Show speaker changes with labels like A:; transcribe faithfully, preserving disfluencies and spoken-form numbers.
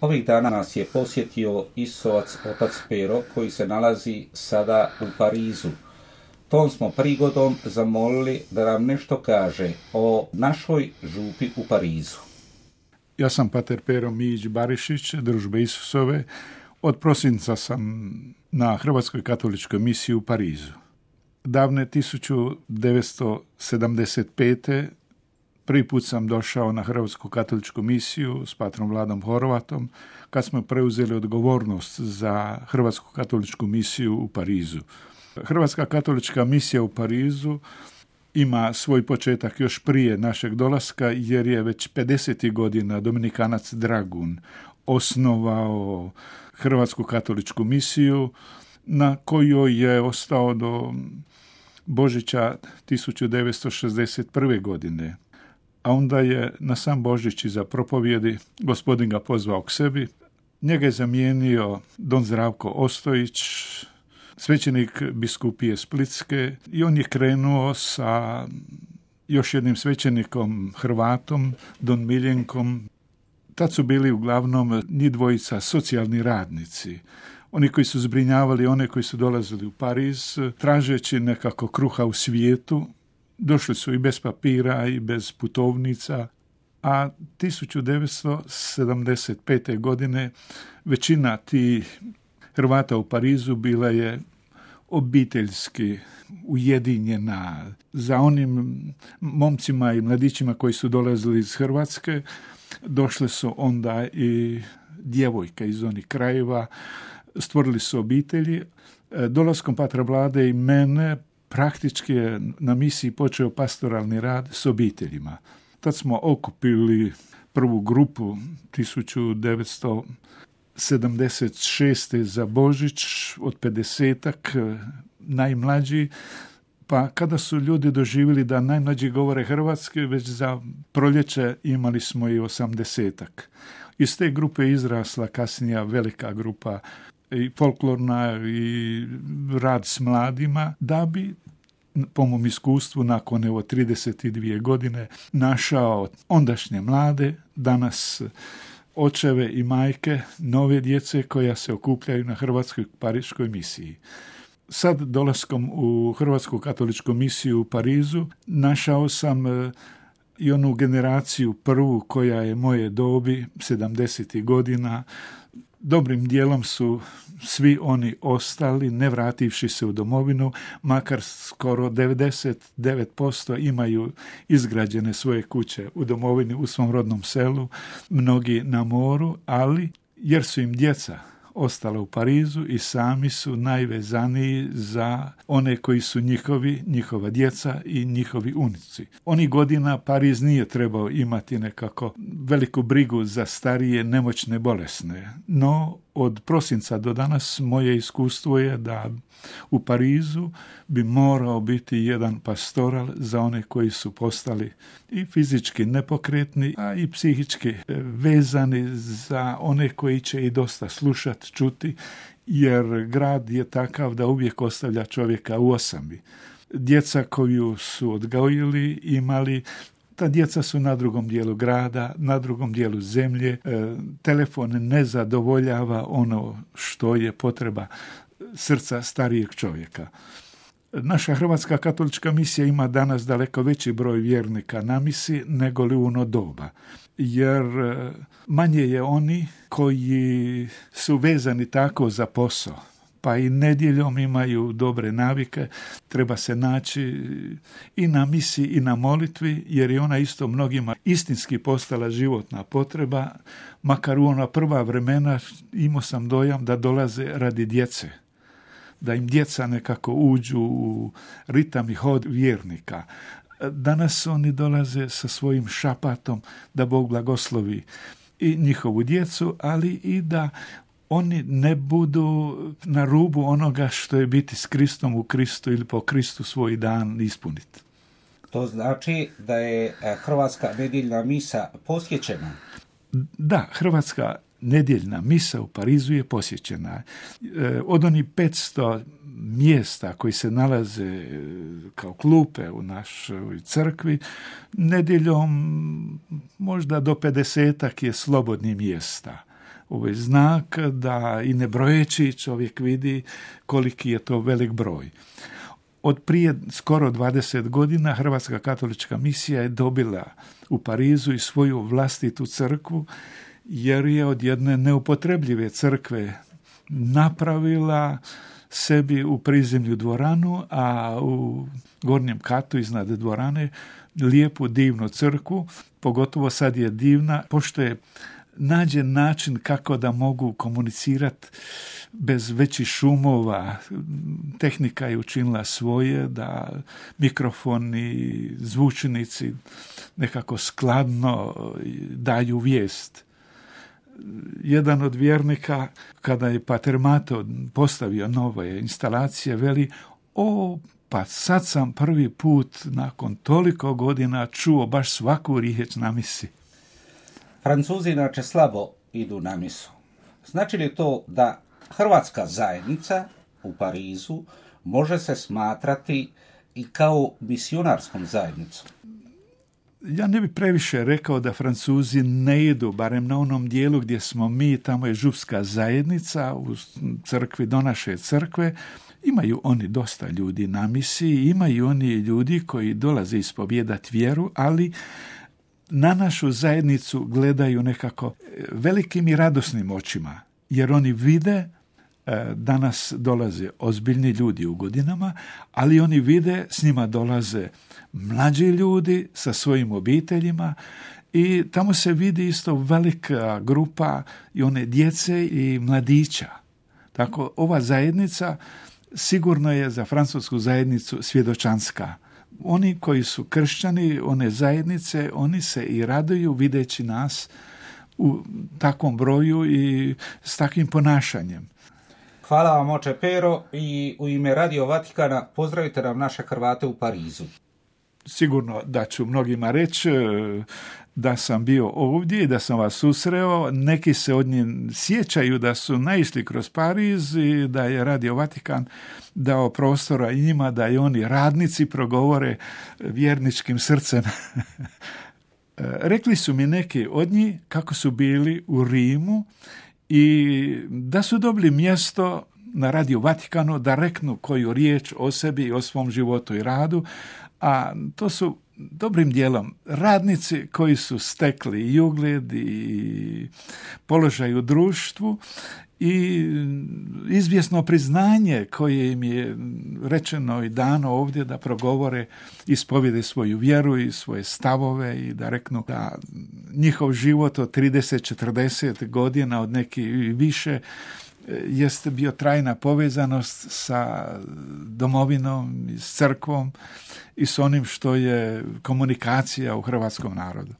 A: Ovih dana nas je posjetio Isovac otac Pero, koji se nalazi sada u Parizu. Tom smo prigodom zamolili da nam nešto kaže o našoj župi u Parizu.
B: Ja sam pater Pero Mijić Barišić, Družbe Isusove. Od prosinca sam na Hrvatskoj katoličkoj misiji u Parizu. Davne tisuću devetsto sedamdeset pete. prvi put sam došao na Hrvatsku katoličku misiju s patrom Vladom Horvatom, kad smo preuzeli odgovornost za Hrvatsku katoličku misiju u Parizu. Hrvatska katolička misija u Parizu ima svoj početak još prije našeg dolaska, jer je već pedesetih godina Dominikanac Dragun osnovao Hrvatsku katoličku misiju, na kojoj je ostao do Božića tisuću devetsto šezdeset prve. godine. A onda je na sam Božić iza propovjedi gospodin ga pozvao k sebi. Njega je zamijenio don Zdravko Ostojić, svećenik biskupije Splitske, i on je krenuo sa još jednim svećenikom Hrvatom, don Miljenkom. Tad su bili uglavnom njih dvojica socijalni radnici. Oni koji su zbrinjavali one koji su dolazili u Pariz, tražeći nekako kruha u svijetu. Došli su i bez papira i bez putovnica, a tisuću devetsto sedamdeset pete. godine većina tih Hrvata u Parizu bila je obiteljski ujedinjena. Za onim momcima i mladićima koji su dolazili iz Hrvatske, došle su onda i djevojke iz onih krajeva, stvorili su obitelji. Dolaskom patra Vlade i mene praktički je na misiji počeo pastoralni rad s obiteljima. Tad smo okupili prvu grupu tisuću devetsto sedamdeset šeste. za Božić od pedesetak, najmlađi, pa kada su ljudi doživjeli da najmlađi govore hrvatski, već za proljeće imali smo i osamdesetak. Iz te grupe izrasla kasnija velika grupa i folklorna i rad s mladima, da bi, po mom iskustvu, nakon evo trideset dvije godine našao ondašnje mlade, danas očeve i majke nove djece koja se okupljaju na Hrvatskoj pariškoj misiji. Sad, dolaskom u Hrvatsku katoličku misiju u Parizu, našao sam i onu generaciju prvu koja je moje dobi, sedamdesetih godina. Dobrim dijelom su svi oni ostali, ne vrativši se u domovinu, makar skoro devedeset devet posto imaju izgrađene svoje kuće u domovini, u svom rodnom selu, mnogi na moru, ali jer su im djeca ostala u Parizu i sami su najvezaniji za one koji su njihovi, njihova djeca i njihovi unici. Onih godina Pariz nije trebao imati nekako veliku brigu za starije, nemoćne, bolesne, no od prosinca do danas moje iskustvo je da u Parizu bi morao biti jedan pastoral za one koji su postali i fizički nepokretni, a i psihički vezani, za one koji će i dosta slušati, čuti, jer grad je takav da uvijek ostavlja čovjeka u osami. Djeca koju su odgojili, imali, ta djeca su na drugom dijelu grada, na drugom dijelu zemlje. E, telefon ne zadovoljava ono što je potreba srca starijeg čovjeka. Naša Hrvatska katolička misija ima danas daleko veći broj vjernika na misi nego li u ono doba, jer manje je oni koji su vezani tako za posao, pa i nedjeljom imaju dobre navike, treba se naći i na misiji i na molitvi, jer je ona isto mnogima istinski postala životna potreba, makar u ona prva vremena imao sam dojam da dolaze radi djece, da im djeca nekako uđu u ritam i hod vjernika. Danas oni dolaze sa svojim šapatom da Bog blagoslovi i njihovu djecu, ali i da oni ne budu na rubu onoga što je biti s Kristom u Kristu ili po Kristu svoj dan ispuniti.
A: To znači da je Hrvatska nedjeljna misa posjećena?
B: Da, Hrvatska nedjeljna misa u Parizu je posjećena. Od onih petsto mjesta koji se nalaze kao klupe u našoj crkvi, nedjeljom možda do pedesetak je slobodnih mjesta. ovo je znak da i ne brojeći čovjek vidi koliki je to velik broj. Od prije skoro dvadeset godina Hrvatska katolička misija je dobila u Parizu i svoju vlastitu crkvu, jer je od jedne neupotrebljive crkve napravila sebi u prizemlju dvoranu, a u gornjem katu iznad dvorane lijepu divnu crkvu, pogotovo sad je divna, pošto je nađen način kako da mogu komunicirati bez većih šumova. Tehnika je učinila svoje da mikrofoni, zvučnici nekako skladno daju vijest. Jedan od vjernika, kada je Pater Mato postavio nove instalacije, veli: o, pa sad sam prvi put nakon toliko godina čuo baš svaku riječ na misi.
A: Francuzi inače slabo idu na misu. Znači li to da hrvatska zajednica u Parizu može se smatrati i kao misionarskom zajednicom?
B: Ja ne bih previše rekao da Francuzi ne idu, barem na onom dijelu gdje smo mi, tamo je župska zajednica u crkvi do naše crkve. Imaju oni dosta ljudi na misiji, imaju oni ljudi koji dolaze ispovijedati vjeru, ali na našu zajednicu gledaju nekako velikim i radosnim očima, jer oni vide da nas dolaze ozbiljni ljudi u godinama, ali oni vide s njima dolaze mlađi ljudi sa svojim obiteljima i tamo se vidi isto velika grupa i one djece i mladića. Tako ova zajednica sigurno je za francusku zajednicu svjedočanska. Oni koji su kršćani, one zajednice, oni se i raduju videći nas u takvom broju i s takvim ponašanjem.
A: Hvala vam, oče Pero, i u ime Radio Vatikana pozdravite nam naše Hrvate u Parizu.
B: Sigurno da ću mnogima reći da sam bio ovdje i da sam vas susreo. Neki se od njih sjećaju da su naišli kroz Pariz i da je Radio Vatikan dao prostora i njima da i oni radnici progovore vjerničkim srcem. Rekli su mi neki od njih kako su bili u Rimu i da su dobili mjesto na Radio Vatikanu da reknu koju riječ o sebi i o svom životu i radu, a to su dobrim dijelom radnici koji su stekli i ugled i položaj u društvu i izvjesno priznanje koje im je rečeno i dano ovdje da progovore, ispovjede svoju vjeru i svoje stavove i da reknu da njihov život od trideset četrdeset godina od neki više jeste bio trajna povezanost sa domovinom i s crkvom i s onim što je komunikacija u hrvatskom narodu.